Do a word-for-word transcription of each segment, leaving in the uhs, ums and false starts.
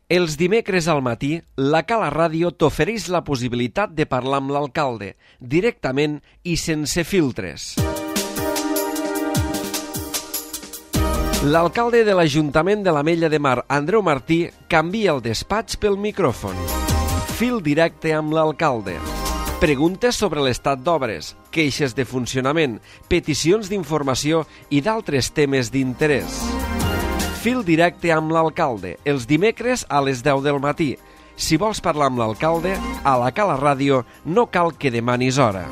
Els dimecres al matí, la Cala Ràdio t'ofereix la possibilitat de parlar amb l'alcalde, directament i sense filtres. L'alcalde de l'Ajuntament de l'Ametlla de Mar, Andreu Martí, canvia el despatx pel micròfon. Fil directe amb l'alcalde. Preguntes sobre l'estat d'obres, queixes de funcionament, peticions d'informació i d'altres temes d'interès. Fil directe amb l'alcalde, els dimecres a les deu del matí. Si vols parlar amb l'alcalde, a la Cala Ràdio no cal que demanis hora.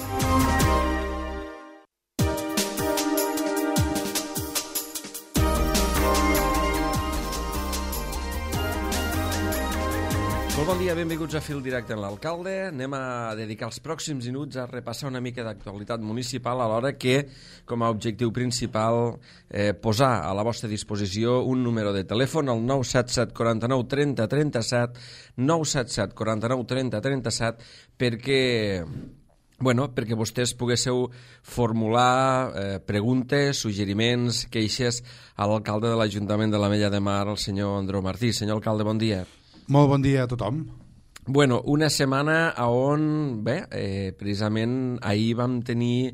Molt bon dia, benvinguts a Fil Directe amb l'alcalde. Anem a dedicar els pròxims minuts a repassar una mica d'actualitat municipal, alhora que, com a objectiu principal, eh, posar a la vostra disposició un número de telèfon, el nou set set quatre nou trenta trenta set, nou set set quatre nou trenta trenta set, perquè... Bueno, perquè vostès poguéssiu formular eh, preguntes, suggeriments, queixes a l'alcalde de l'Ajuntament de l'Ametlla de Mar, el senyor Andreu Martí. Senyor alcalde, bon dia. Molt bon dia a tothom. Bueno, una setmana on, bé, eh, precisament ahir vam tenir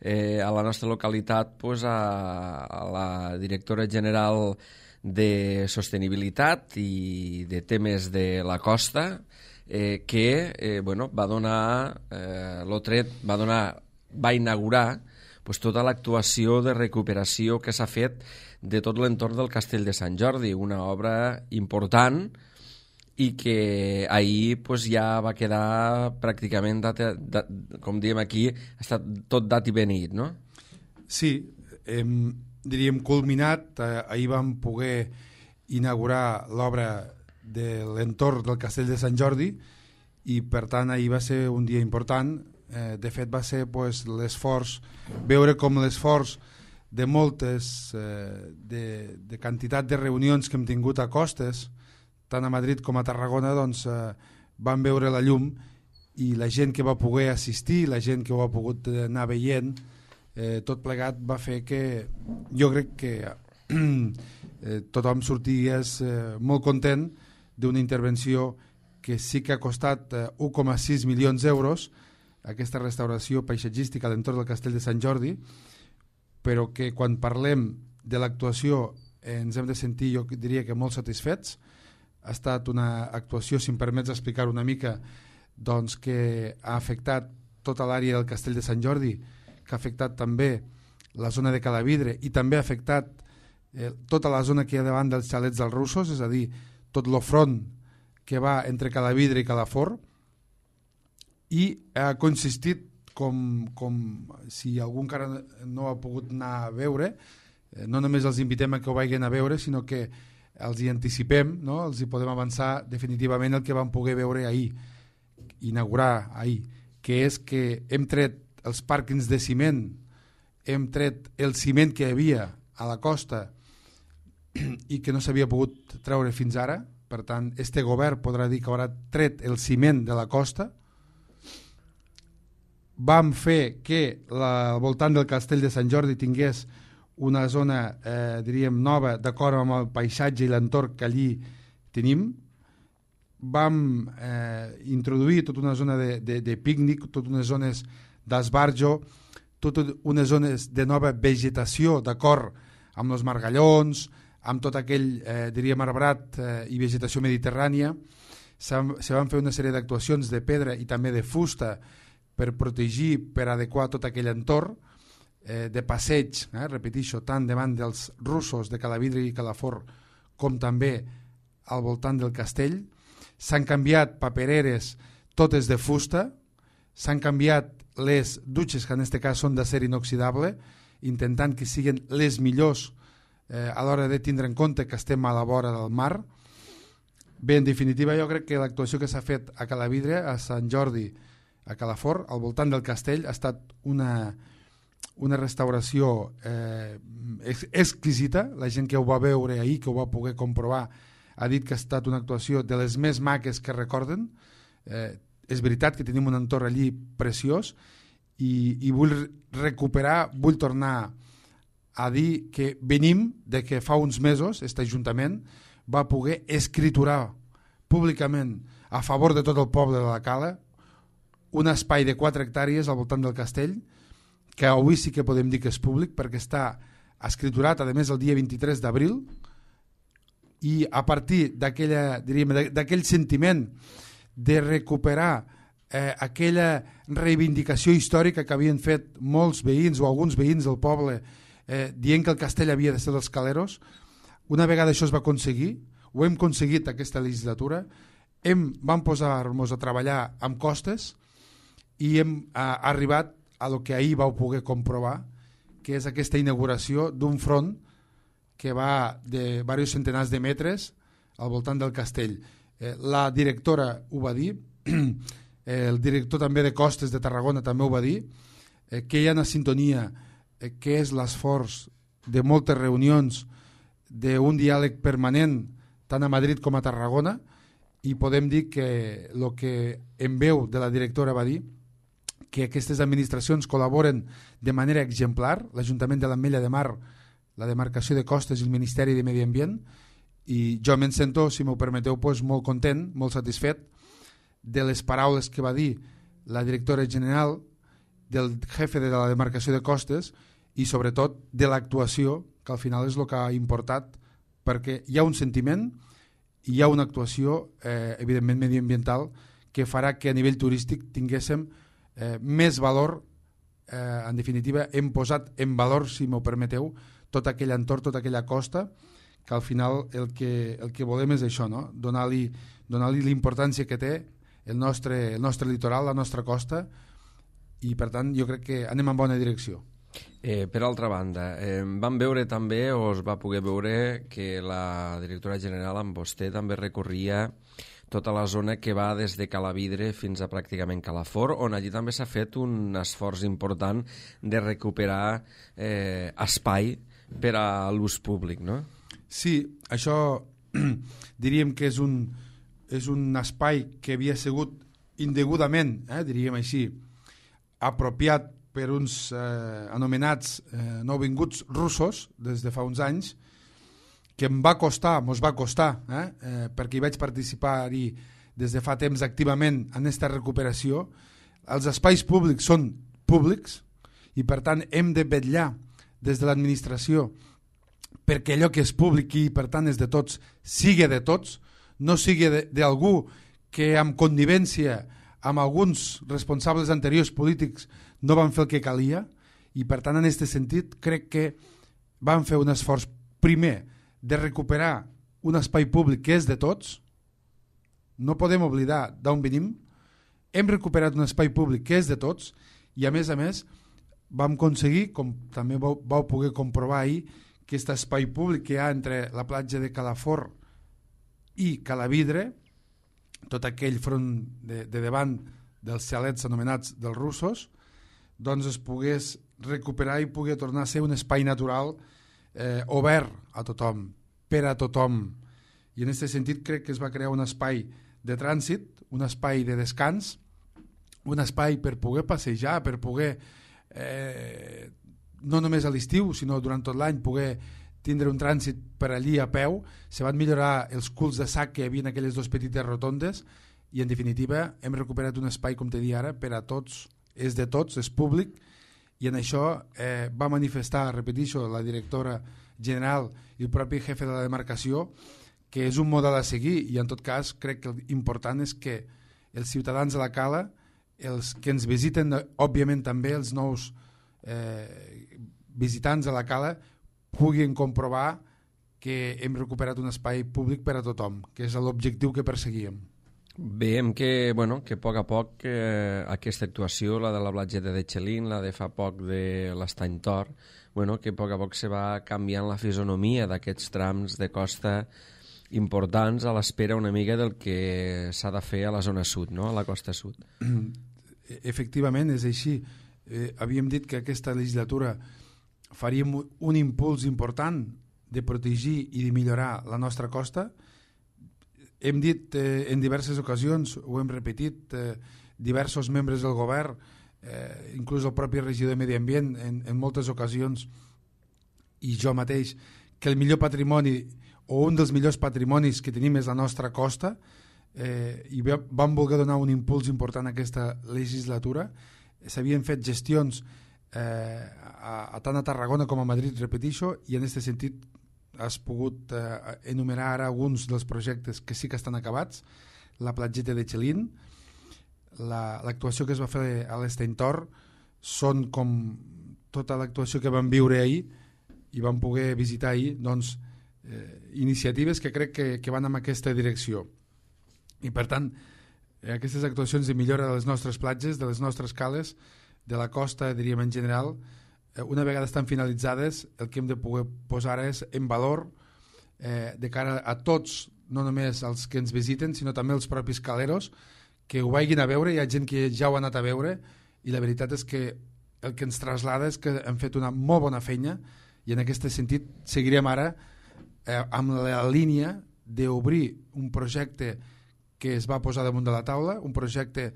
eh, a la nostra localitat pues, a, a la directora general de Sostenibilitat i de temes de la costa, eh, que eh, bueno, va donar eh, l'Otret, va donar, va inaugurar pues, tota l'actuació de recuperació que s'ha fet de tot l'entorn del Castell de Sant Jordi, una obra important i que ahir pues, ja va quedar pràcticament, data, dat, com diem aquí, ha estat tot dat i benit, no? Sí, hem, diríem culminat, eh, ahir vam poder inaugurar l'obra de l'entorn del Castell de Sant Jordi i per tant ahir va ser un dia important. Eh, de fet va ser pues, l'esforç, veure com l'esforç de moltes, eh, de, de quantitat de reunions que hem tingut a costes, tant a Madrid com a Tarragona, doncs, eh, van veure la llum i la gent que va poder assistir, la gent que ho ha pogut anar veient, eh, tot plegat va fer que jo crec que eh, tothom sortigués eh, molt content d'una intervenció que sí que ha costat eh, un coma sis milions d'euros, aquesta restauració paisatgística a l'entorn del Castell de Sant Jordi, però que quan parlem de l'actuació eh, ens hem de sentir, jo diria que molt satisfets. Ha estat una actuació, si em permets explicar una mica, doncs, que ha afectat tota l'àrea del Castell de Sant Jordi, que ha afectat també la zona de Calavidre i també ha afectat eh, tota la zona que hi ha davant dels xalets dels russos, és a dir, tot el front que va entre Calavidre i Calafort, i ha consistit, com, com si algú encara no ha pogut anar a veure, eh, no només els invitem a que ho vagin a veure, sinó que els hi anticipem, no? Els hi podem avançar definitivament el que vam poder veure ahir, inaugurar ahir, que és que hem tret els pàrquings de ciment, hem tret el ciment que hi havia a la costa i que no s'havia pogut treure fins ara. Per tant, este govern podrà dir que haurà tret el ciment de la costa. Vam fer que la, al voltant del Castell de Sant Jordi tingués una zona, eh, diríem, nova, d'acord amb el paisatge i l'entorn que allí tenim. Vam eh, introduir tota una zona de, de, de pícnic, totes unes zones d'esbarjo, totes unes zones de nova vegetació, d'acord amb els margallons, amb tot aquell, eh, diríem, arbrat eh, i vegetació mediterrània. Se van fer una sèrie d'actuacions de pedra i també de fusta per protegir, per adequar tot aquell entorn, Eh, de passeig, eh, repeteixo, tant davant dels russos de Calavidre i Calafort com també al voltant del castell. S'han canviat papereres totes de fusta, s'han canviat les dutxes, que en aquest cas són d'acer inoxidable, intentant que siguin les millors eh, a l'hora de tindre en compte que estem a la vora del mar. Bé, en definitiva, jo crec que l'actuació que s'ha fet a Calavidre, a Sant Jordi, a Calafort, al voltant del castell, ha estat una... una restauració eh, exquisita. La gent que ho va veure ahir, que ho va poder comprovar, ha dit que ha estat una actuació de les més maques que recorden. Eh, és veritat que tenim un entorn allí preciós i, i vull recuperar, vull tornar a dir que venim de que fa uns mesos aquest Ajuntament va poder escriturar públicament a favor de tot el poble de la Cala, un espai de quatre hectàrees al voltant del castell, que avui sí que podem dir que és públic perquè està escriturat, a més, el dia vint-i-tres d'abril, i a partir d'aquella, diríem, d'aquell sentiment de recuperar eh, aquella reivindicació històrica que havien fet molts veïns o alguns veïns del poble eh, dient que el castell havia de ser dels Caleros, una vegada això es va aconseguir, ho hem aconseguit aquesta legislatura, hem, vam posar-nos a treballar amb costes i hem a, arribat a lo que ahir vau poder comprovar, que és aquesta inauguració d'un front que va de diversos centenars de metres al voltant del castell. Eh, la directora ho va dir, el director també de Costes de Tarragona també ho va dir, eh, que hi ha una sintonia, eh, que és l'esforç de moltes reunions, d'un diàleg permanent tant a Madrid com a Tarragona, i podem dir que el que en veu de la directora va dir, que aquestes administracions col·laboren de manera exemplar, l'Ajuntament de l'Ametlla de Mar, la demarcació de Costes i el Ministeri de Medi Ambient, i jo me'n sento, si m'ho permeteu, pues, molt content, molt satisfet de les paraules que va dir la directora general, del jefe de la demarcació de Costes i sobretot de l'actuació, que al final és el que ha importat, perquè hi ha un sentiment i hi ha una actuació eh, evidentment mediambiental que farà que a nivell turístic tinguéssim eh, més valor, eh, en definitiva hem posat en valor, si m'ho permeteu, tot aquell entorn, tota aquella costa, que al final el que, el que volem és això, no? Donar-li donar-li l'importància que té el nostre, el nostre litoral, la nostra costa, i per tant jo crec que anem en bona direcció. Eh, per altra banda, eh, vam veure també, o es va poder veure, que la directora general amb vostè també recorria tota la zona que va des de Calavidre fins a pràcticament Calafort, on allí també s'ha fet un esforç important de recuperar eh, espai per a l'ús públic, no? Sí, això diríem que és un, és un espai que havia sigut indegudament, eh, diríem així, apropiat per uns eh, anomenats eh, nouvinguts russos des de fa uns anys, que em va costar, mos va costar, eh, eh, perquè hi vaig participar-hi des de fa temps activament en aquesta recuperació. Els espais públics són públics i per tant hem de vetllar des de l'administració perquè allò que és públic i per tant és de tots, sigui de tots, no sigui d'algú que amb connivència amb alguns responsables anteriors polítics no van fer el que calia, i per tant en aquest sentit crec que van fer un esforç primer de recuperar un espai públic que és de tots. No podem oblidar d'on venim. Hem recuperat un espai públic que és de tots i a més a més vam aconseguir, com també vau, vau poder comprovar ahir, que aquest espai públic que hi ha entre la platja de Calafort i Calavidre, tot aquell front de, de davant dels xalets anomenats dels russos, doncs es pogués recuperar i pogués tornar a ser un espai natural eh, obert a tothom, per a tothom. I en aquest sentit crec que es va crear un espai de trànsit, un espai de descans, un espai per poder passejar, per poder, eh, no només a l'estiu, sinó durant tot l'any, poder tindre un trànsit per allí a peu. Se van millorar els culs de sac que hi havia en aquelles dues petites rotondes i en definitiva hem recuperat un espai, com te dic ara, per a tots, és de tots, és públic, i en això eh, va manifestar, repeteixo, la directora general i el propi jefe de la demarcació, que és un model a seguir, i en tot cas crec que l'important és que els ciutadans de la Cala, els que ens visiten, òbviament també els nous eh, visitants de la Cala, puguin comprovar que hem recuperat un espai públic per a tothom, que és l'objectiu que perseguíem. Veiem que, bueno, que a poc a poc eh, aquesta actuació, la de la platgeta de Xelín, la de fa poc de l'Estany Tor, bueno, que a poc a poc se va canviant la fisonomia d'aquests trams de costa importants a l'espera una mica del que s'ha de fer a la zona sud, no? A la costa sud. Efectivament, és així. Eh, havíem dit que aquesta legislatura faríem un impuls important de protegir i de millorar la nostra costa. Hem dit eh, en diverses ocasions, ho hem repetit, eh, diversos membres del govern, eh, inclús el propi regidor de Medi Ambient en, en moltes ocasions, i jo mateix, que el millor patrimoni o un dels millors patrimonis que tenim és la nostra costa. eh, i vam voler donar un impuls important a aquesta legislatura. S'havien fet gestions eh, a, a tant a Tarragona com a Madrid, repeteixo, i en aquest sentit has pogut eh, enumerar ara alguns dels projectes que sí que estan acabats. La platgeta de Xelín, l'actuació la, que es va fer a l'Esteintor, són com tota l'actuació que vam viure ahir i vam poder visitar ahir, doncs, eh, iniciatives que crec que, que van en aquesta direcció. I per tant, eh, aquestes actuacions de millora de les nostres platges, de les nostres cales, de la costa, diríem en general, eh, una vegada estan finalitzades, el que hem de poder posar és en valor eh, de cara a tots, no només els que ens visiten, sinó també els propis caleros, que ho vagin a veure. Hi ha gent que ja ho ha anat a veure i la veritat és que el que ens traslada és que hem fet una molt bona feina i en aquest sentit seguirem ara eh, amb la línia d'obrir un projecte que es va posar damunt de la taula, un projecte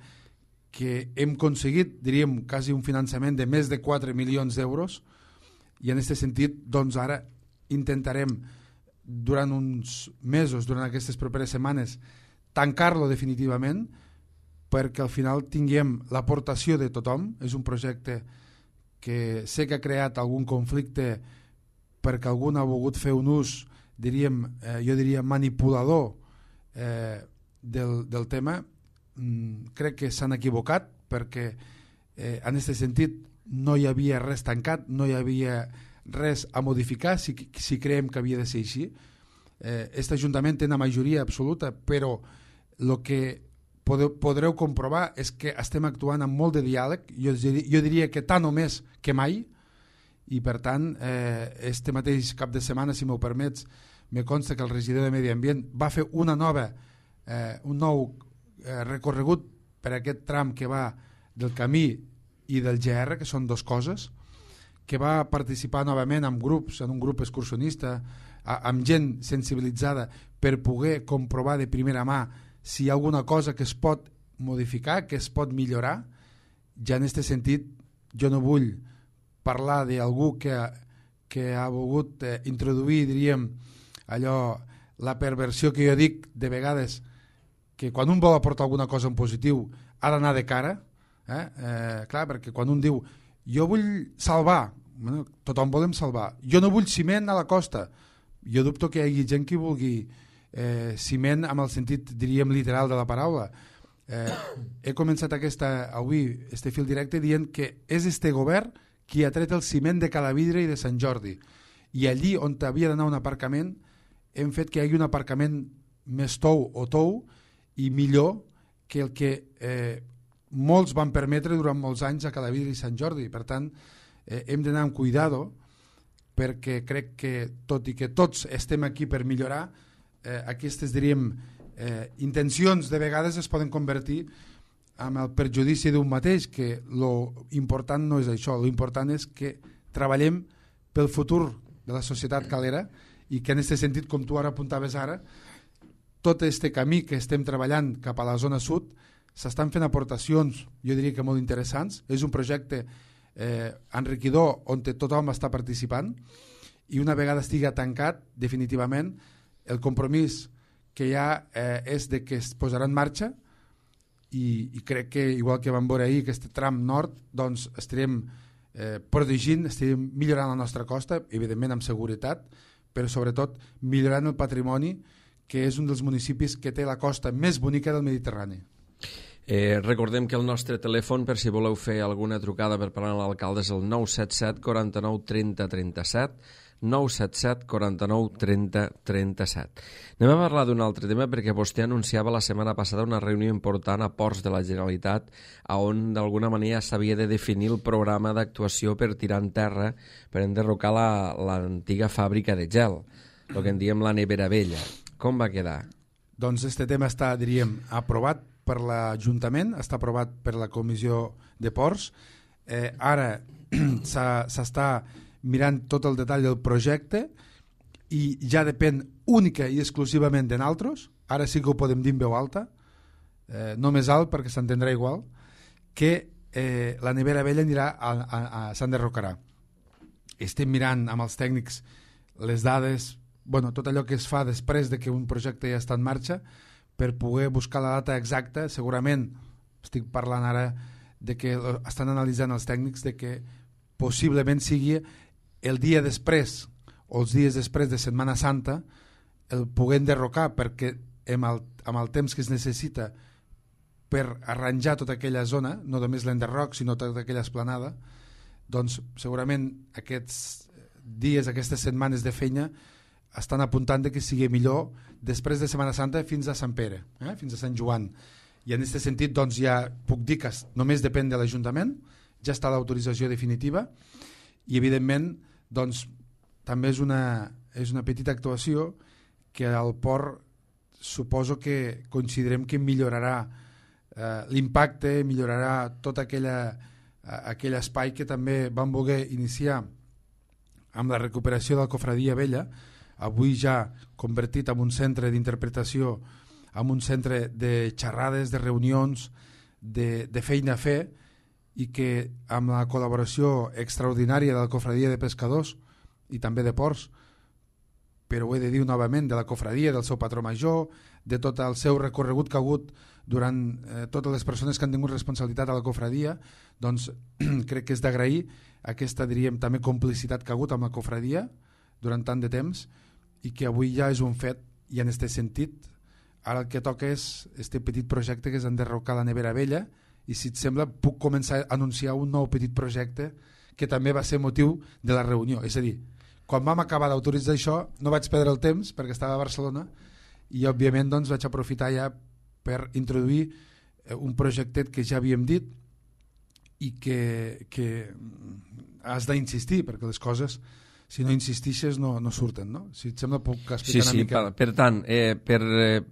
que hem aconseguit, diríem, quasi un finançament de més de quatre milions d'euros i en aquest sentit, doncs ara intentarem durant uns mesos, durant aquestes properes setmanes, tancar-lo definitivament perquè al final tinguem l'aportació de tothom. És un projecte que sé que ha creat algun conflicte perquè algú ha volgut fer un ús, diríem, eh, jo diria manipulador eh, del, del tema. Mm, crec que s'han equivocat perquè eh, en aquest sentit no hi havia res tancat, no hi havia res a modificar si, si creiem que havia de ser així. Aquest eh, Ajuntament té una majoria absoluta, però el que podeu, podreu comprovar és que estem actuant amb molt de diàleg, jo, jo diria que tant o més que mai, i per tant eh, este mateix cap de setmana, si m'ho permets, me consta que el regidor de Medi Ambient va fer una nova, eh, un nou eh, recorregut per aquest tram que va del camí i del G R, que són dues coses, que va participar novament amb grups, en un grup excursionista, a, amb gent sensibilitzada per poder comprovar de primera mà si hi ha alguna cosa que es pot modificar, que es pot millorar. Ja en aquest sentit jo no vull parlar d'algú que, que ha volgut eh, introduir, diríem, allò, la perversió que jo dic de vegades, que quan un vol aportar alguna cosa en positiu ha d'anar de cara, eh? Eh, clar, perquè quan un diu jo vull salvar, bueno, tothom volem salvar, jo no vull ciment a la costa, jo dubto que hi hagi gent que vulgui eh, ciment amb el sentit, diríem, literal de la paraula. Eh, he començat aquesta, avui este fil directe dient que és este govern qui ha tret el ciment de Calavidre i de Sant Jordi, i allí on havia d'anar un aparcament hem fet que hi hagi un aparcament més tou o tou i millor que el que eh, molts van permetre durant molts anys a Calavidre i Sant Jordi. Per tant, eh, hem d'anar amb cuidado perquè crec que, tot i que tots estem aquí per millorar, eh, aquestes, diríem, eh, intencions de vegades es poden convertir en el perjudici d'un mateix, que lo important no és això, lo important és que treballem pel futur de la societat calera i que en aquest sentit, com tu ara apuntaves ara, tot este camí que estem treballant cap a la zona sud s'estan fent aportacions, jo diria que molt interessants. És un projecte eh, enriquidor on tothom està participant i una vegada estigui tancat definitivament el compromís que hi ha eh, és de que es posarà en marxa i, i crec que igual que vam veure ahir aquest tram nord, doncs estarem eh, protegint, estarem millorant la nostra costa, evidentment amb seguretat, però sobretot millorant el patrimoni, que és un dels municipis que té la costa més bonica del Mediterrani. Eh, recordem que el nostre telèfon, per si voleu fer alguna trucada per parlar amb l'alcalde, és el nou set set quaranta-nou trenta trenta-set, nou set set quaranta-nou trenta trenta-set. Anem a parlar d'un altre tema perquè vostè anunciava la setmana passada una reunió important a Ports de la Generalitat on d'alguna manera s'havia de definir el programa d'actuació per tirar en terra, per enderrocar l'antiga fàbrica de gel, el que en diem la nevera vella. Com va quedar? Doncs este tema està, diríem, aprovat per l'Ajuntament, està aprovat per la Comissió de Ports. Eh, ara s'està mirant tot el detall del projecte i ja depèn única i exclusivament de nosaltres. Ara sí que ho podem dir en veu alta, eh, no més alt perquè s'entendrà igual, que eh, la nevera vella anirà a, a, a, s'enderrocarà. Estem mirant amb els tècnics les dades, bueno, tot allò que es fa després de que un projecte ja està en marxa, per poder buscar la data exacta. Segurament estic parlant ara de que estan analitzant els tècnics de que possiblement sigui el dia després o els dies després de Setmana Santa el poder enderrocar, perquè amb el, amb el temps que es necessita per arranjar tota aquella zona, no només l'enderroc sinó tota aquella esplanada, doncs segurament aquests dies, aquestes setmanes de feina estan apuntant de que sigui millor després de Setmana Santa fins a Sant Pere, eh? fins a Sant Joan. I en aquest sentit doncs, ja puc dir que només depèn de l'Ajuntament, ja està l'autorització definitiva i evidentment doncs, també és una, és una petita actuació que al port suposo que considerem que millorarà eh, l'impacte, millorarà tot aquella, eh, aquell espai que també vam voler iniciar amb la recuperació de la Cofradia Vella, avui ja convertit en un centre d'interpretació, en un centre de xerrades, de reunions, de, de feina a fer, i que amb la col·laboració extraordinària de la Cofradia de Pescadors i també de Ports, però ho he de dir novament, de la Cofradia, del seu patró major, de tot el seu recorregut que ha hagut durant eh, totes les persones que han tingut responsabilitat a la Cofradia, doncs crec que és d'agrair aquesta, diríem, també complicitat que ha hagut amb la Cofradia durant tant de temps i que avui ja és un fet. I en aquest sentit ara el que toca és este petit projecte que és enderrocar la nevera vella, i si et sembla puc començar a anunciar un nou petit projecte que també va ser motiu de la reunió. És a dir, quan vam acabar d'autoritzar això no vaig perdre el temps perquè estava a Barcelona i òbviament doncs, vaig aprofitar ja per introduir un projectet que ja havíem dit i que, que has d'insistir perquè les coses, si no insistixes no, no surten, no? Si et sembla puc explicar sí, una sí, mica. Per, per tant, eh, per,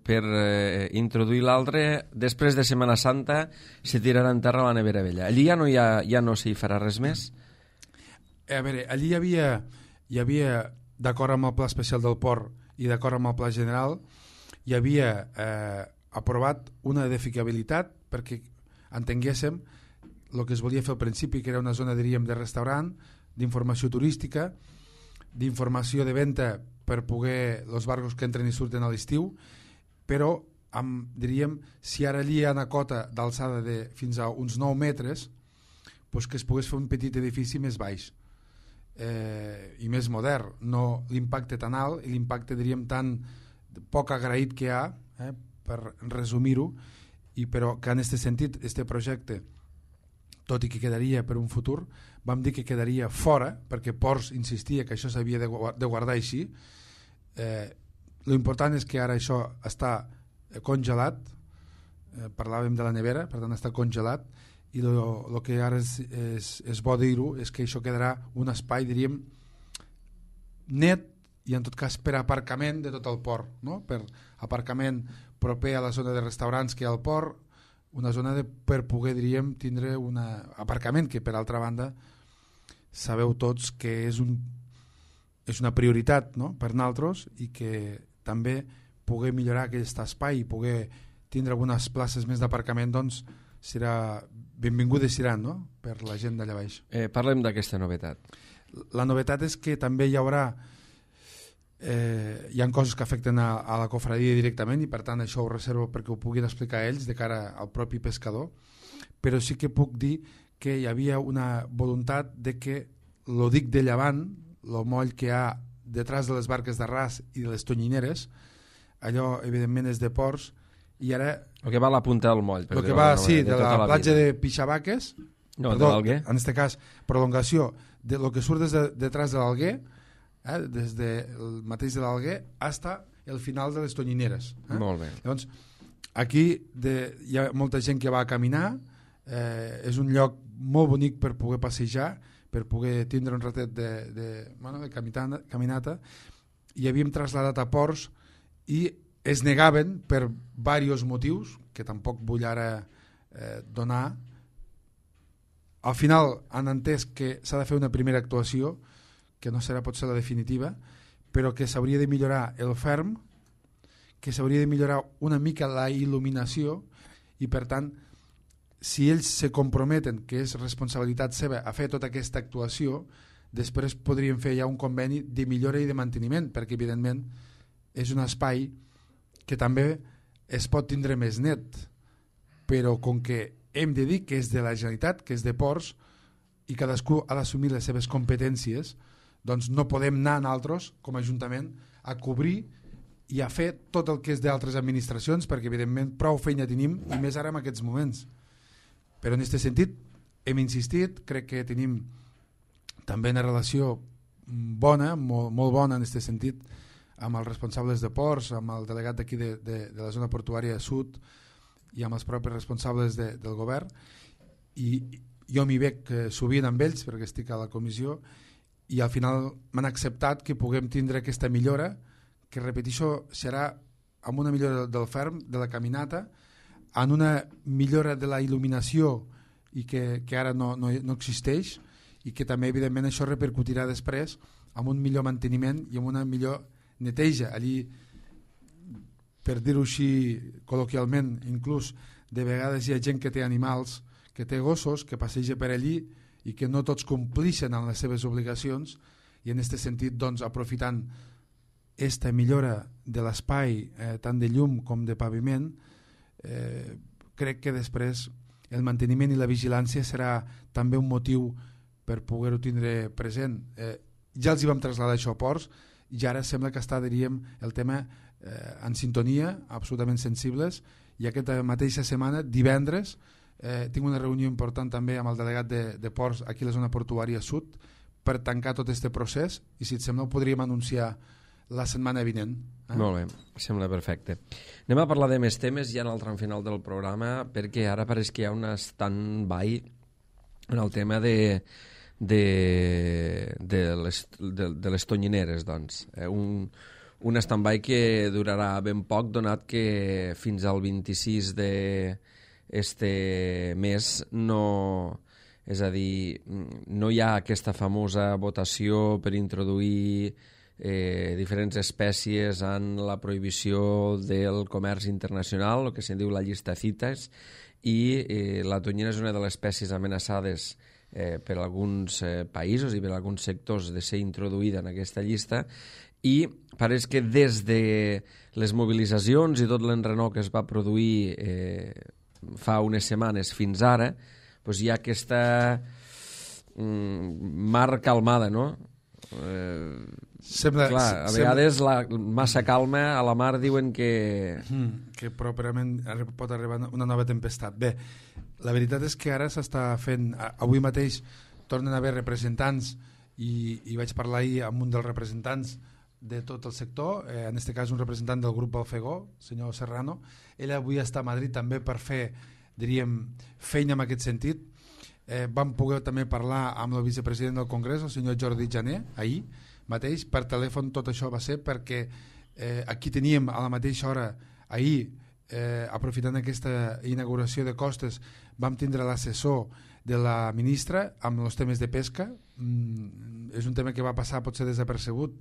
per eh, introduir l'altre, després de Setmana Santa se tirarà en terra la nevera vella. Allí ja no, hi ha, ja no s'hi farà res més? A veure, allí hi havia, hi havia d'acord amb el Pla Especial del Port i d'acord amb el Pla General, hi havia eh, aprovat una edificabilitat perquè entenguéssim el que es volia fer al principi, que era una zona, diríem, de restaurant, d'informació turística, d'informació de venda per poder els barcos que entren i surten a l'estiu, però amb, diríem, si ara allí hi ha una cota d'alçada de fins a uns nou metres, doncs que es pogués fer un petit edifici més baix eh, i més modern, no l'impacte tan alt i l'impacte, diríem, tan poc agraït que hi ha, eh, per resumir-ho, i però que en aquest sentit, este projecte, tot i que quedaria per un futur, vam dir que quedaria fora, perquè Ports insistia que això s'havia de guardar així. Eh, l'important és que ara això està congelat, eh, parlàvem de la nevera, per tant està congelat, i el que ara és, és, és bo dir-ho és que això quedarà un espai, diríem, net i en tot cas per aparcament de tot el port, no? Per aparcament proper a la zona de restaurants que hi ha al port, una zona de, per poder, diríem, tindre un aparcament que, per altra banda, sabeu tots que és, un, és una prioritat, no?, per nosaltres, i que també poder millorar aquest espai i poder tindre algunes places més d'aparcament, doncs serà benvingudes seran, no?, per la gent d'allà baix. Eh, parlem d'aquesta novetat. La novetat és que també hi haurà Eh, hi ha coses que afecten a, a la cofradia directament i per tant això ho reservo perquè ho puguin explicar ells de cara al propi pescador, però sí que puc dir que hi havia una voluntat de que lo dic de llevant, el moll que hi ha detrás de les barques d'arràs i de les tonyineres, allò evidentment és de Ports, i ara el que va a la punta del moll, el que va, sí, de, de la, la platja vida. De Pixabaques, no, perdó, de l'Alguer, en aquest cas prolongació de lo que surt des de, detrás de l'Alguer, Eh, des del mateix de l'Alguer hasta el final de les tonyineres, eh? Molt bé. Llavors, aquí de, hi ha molta gent que va a caminar, eh, és un lloc molt bonic per poder passejar, per poder tindre un ratet de, de, bueno, de caminata, caminata, i havíem traslladat a Ports i es negaven per diversos motius que tampoc vull ara eh, donar. Al final han entès que s'ha de fer una primera actuació que no serà potser la definitiva, però que s'hauria de millorar el ferm, que s'hauria de millorar una mica la il·luminació, i per tant, si ells se comprometen, que és responsabilitat seva, a fer tota aquesta actuació, després podríem fer ja un conveni de millora i de manteniment, perquè evidentment és un espai que també es pot tindre més net, però com que hem de dir que és de la Generalitat, que és de Ports, i cadascú ha d'assumir les seves competències, doncs no podem anar nosaltres, com a Ajuntament, a cobrir i a fer tot el que és d'altres administracions, perquè evidentment prou feina tenim, i més ara en aquests moments. Però en aquest sentit hem insistit, crec que tenim també una relació bona, molt, molt bona en aquest sentit, amb els responsables de ports, amb el delegat d'aquí de, de, de la zona portuària sud i amb els propis responsables de, del govern, i jo m'hi veig sovint amb ells perquè estic a la comissió, i al final m'han acceptat que puguem tindre aquesta millora, que repeteixo, serà amb una millora del ferm, de la caminata, en una millora de la il·luminació i que, que ara no, no, no existeix, i que també evidentment això repercutirà després amb un millor manteniment i amb una millor neteja. Allí, per dir-ho així col·loquialment, inclús de vegades hi ha gent que té animals, que té gossos, que passeja per allí i que no tots complixen amb les seves obligacions, i en aquest sentit, doncs, aprofitant aquesta millora de l'espai, eh, tant de llum com de paviment, eh, crec que després el manteniment i la vigilància serà també un motiu per poder-ho tindre present. Eh, ja els hi vam traslladar això a Ports, i ara sembla que està, diríem, el tema eh, en sintonia, absolutament sensibles, i aquesta mateixa setmana, divendres, eh, tinc una reunió important també amb el delegat de, de Ports aquí a la zona portuària sud per tancar tot aquest procés, i si et sembla ho podríem anunciar la setmana vinent. Eh? Molt bé, sembla perfecte. Anem a parlar de més temes ja en el tram final del programa, perquè ara pareix que hi ha un stand-by en el tema de, de, de, les, de, de les tonyineres, doncs. Eh, un, un stand-by que durarà ben poc, donat que fins al vint-i-sis d'este mes no... És a dir, no hi ha aquesta famosa votació per introduir eh, diferents espècies en la prohibició del comerç internacional, el que se'n diu la llista CITES, i eh, la tonyina és una de les espècies amenaçades eh, per alguns eh, països i per alguns sectors de ser introduïda en aquesta llista, i pareix que des de les mobilitzacions i tot l'enrenou que es va produir eh, fa unes setmanes fins ara, doncs hi ha aquesta mm, mar calmada, no? Eh, sembla, clar, a vegades la massa calma a la mar diuen que... Mm, que properament pot arribar una nova tempestat. Bé, la veritat és que ara s'està fent... Avui mateix tornen a haver representants i, i vaig parlar ahir amb un dels representants de tot el sector, eh, en aquest cas un representant del grup Balfegó, senyor Serrano. Ell avui està a Madrid també per fer, diríem, feina en aquest sentit. Eh, vam poder també parlar amb el vicepresident del Congrés, el senyor Jordi Jané, ahir mateix, per telèfon. Tot això va ser perquè eh, aquí teníem a la mateixa hora, ahir, eh, aprofitant aquesta inauguració de costes, vam tindre l'assessor de la ministra amb els temes de pesca. Mm, és un tema que va passar potser desapercebut,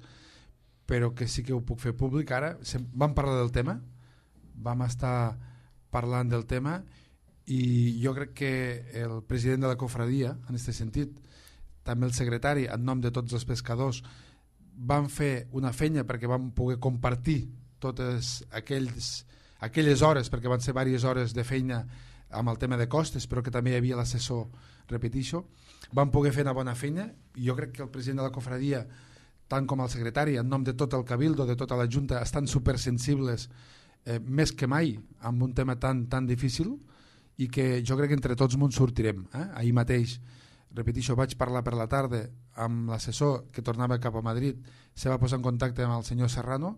però que sí que ho puc fer públic ara. Vam parlar del tema, vam estar parlant del tema, i jo crec que el president de la cofradia, en aquest sentit, també el secretari, en nom de tots els pescadors, van fer una feina perquè vam poder compartir totes aquells, aquelles hores, perquè van ser diverses hores de feina amb el tema de costes, però que també hi havia l'assessor, repetixo. Vam poder fer una bona feina, i jo crec que el president de la cofradia, tant com el secretari, en nom de tot el cabildo, de tota la Junta, estan supersensibles, eh, més que mai, amb un tema tan, tan difícil, i que jo crec que entre tots ens sortirem. Eh? Ahir mateix, repetixo, vaig parlar per la tarda amb l'assessor que tornava cap a Madrid, se va posar en contacte amb el senyor Serrano,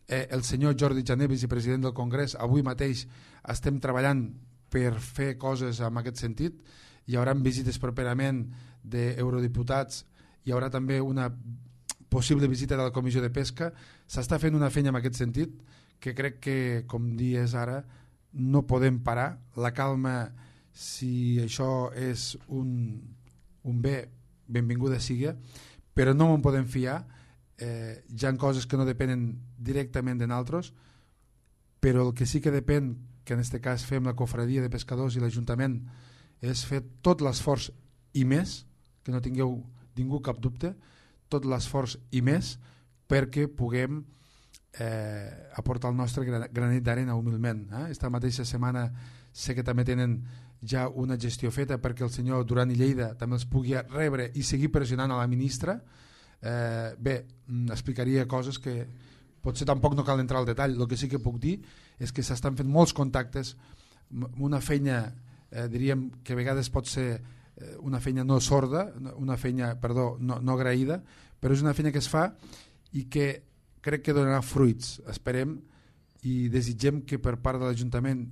eh, el senyor Jordi Jané, vicepresident del Congrés, avui mateix estem treballant per fer coses en aquest sentit. Hi haurà visites properament d'eurodiputats, hi haurà també una possible visita de la Comissió de Pesca. S'està fent una feina en aquest sentit que crec que, com dies ara, no podem parar. La calma, si això és un, un bé, benvinguda sigui, però no me'n podem fiar. Eh, hi ha coses que no depenen directament de nosaltres, però el que sí que depèn, que en aquest cas fem la cofradia de pescadors i l'Ajuntament, és fer tot l'esforç i més, que no tingueu ningú cap dubte, tot l'esforç i més perquè puguem eh, aportar el nostre granet d'arena humilment. Eh? Esta mateixa setmana sé que també tenen ja una gestió feta perquè el senyor Duran i Lleida també els pugui rebre i seguir pressionant a la ministra. Eh, bé, explicaria coses que potser tampoc no cal entrar al detall. El que sí que puc dir és que s'estan fent molts contactes, una feina, eh, diríem que a vegades pot ser una feina no sorda, una feina, perdó, no, no agraïda, però és una feina que es fa i que crec que donarà fruits. Esperem i desitgem que per part de l'Ajuntament,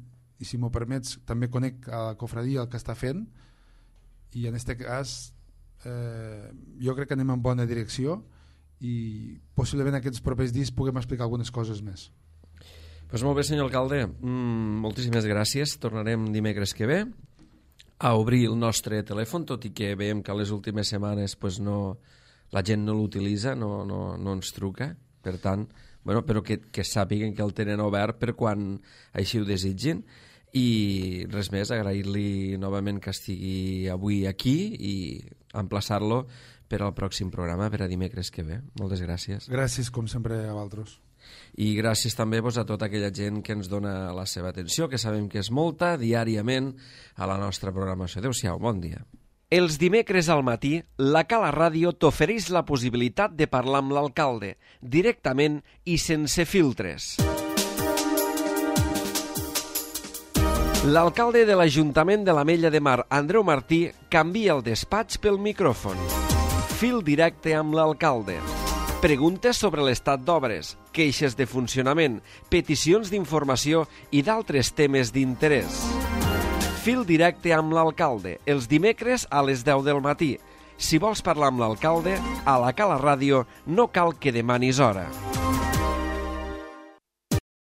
i si m'ho permets també conec a la cofradia el que està fent, i en aquest cas eh, jo crec que anem en bona direcció i possiblement aquests propers dies puguem explicar algunes coses més. Pues molt bé, senyor alcalde, mm, moltíssimes gràcies. Tornarem dimecres que ve a obrir el nostre telèfon, tot i que veiem que a les últimes setmanes pues no, la gent no l'utilitza, no, no, no ens truca, per tant, bueno, però que, que sàpiguen que el tenen obert per quan així ho desitgin. I res més, agrair-li novament que estigui avui aquí i emplaçar-lo per al pròxim programa, per a dimecres que ve. Moltes gràcies. Gràcies, com sempre, a vosaltres. I gràcies també pues, a tota aquella gent que ens dona la seva atenció, que sabem que és molta, diàriament a la nostra programació. Adéu-siau, bon dia. Els dimecres al matí, la Cala Ràdio t'ofereix la possibilitat de parlar amb l'alcalde, directament i sense filtres. L'alcalde de l'Ajuntament de l'Ametlla de Mar, Andreu Martí, canvia el despatx pel micròfon. Fil directe amb l'alcalde. Preguntes sobre l'estat d'obres, queixes de funcionament, peticions d'informació i d'altres temes d'interès. Fil directe amb l'alcalde, els dimecres a les deu del matí. Si vols parlar amb l'alcalde, a la Cala Ràdio no cal que demanis hora.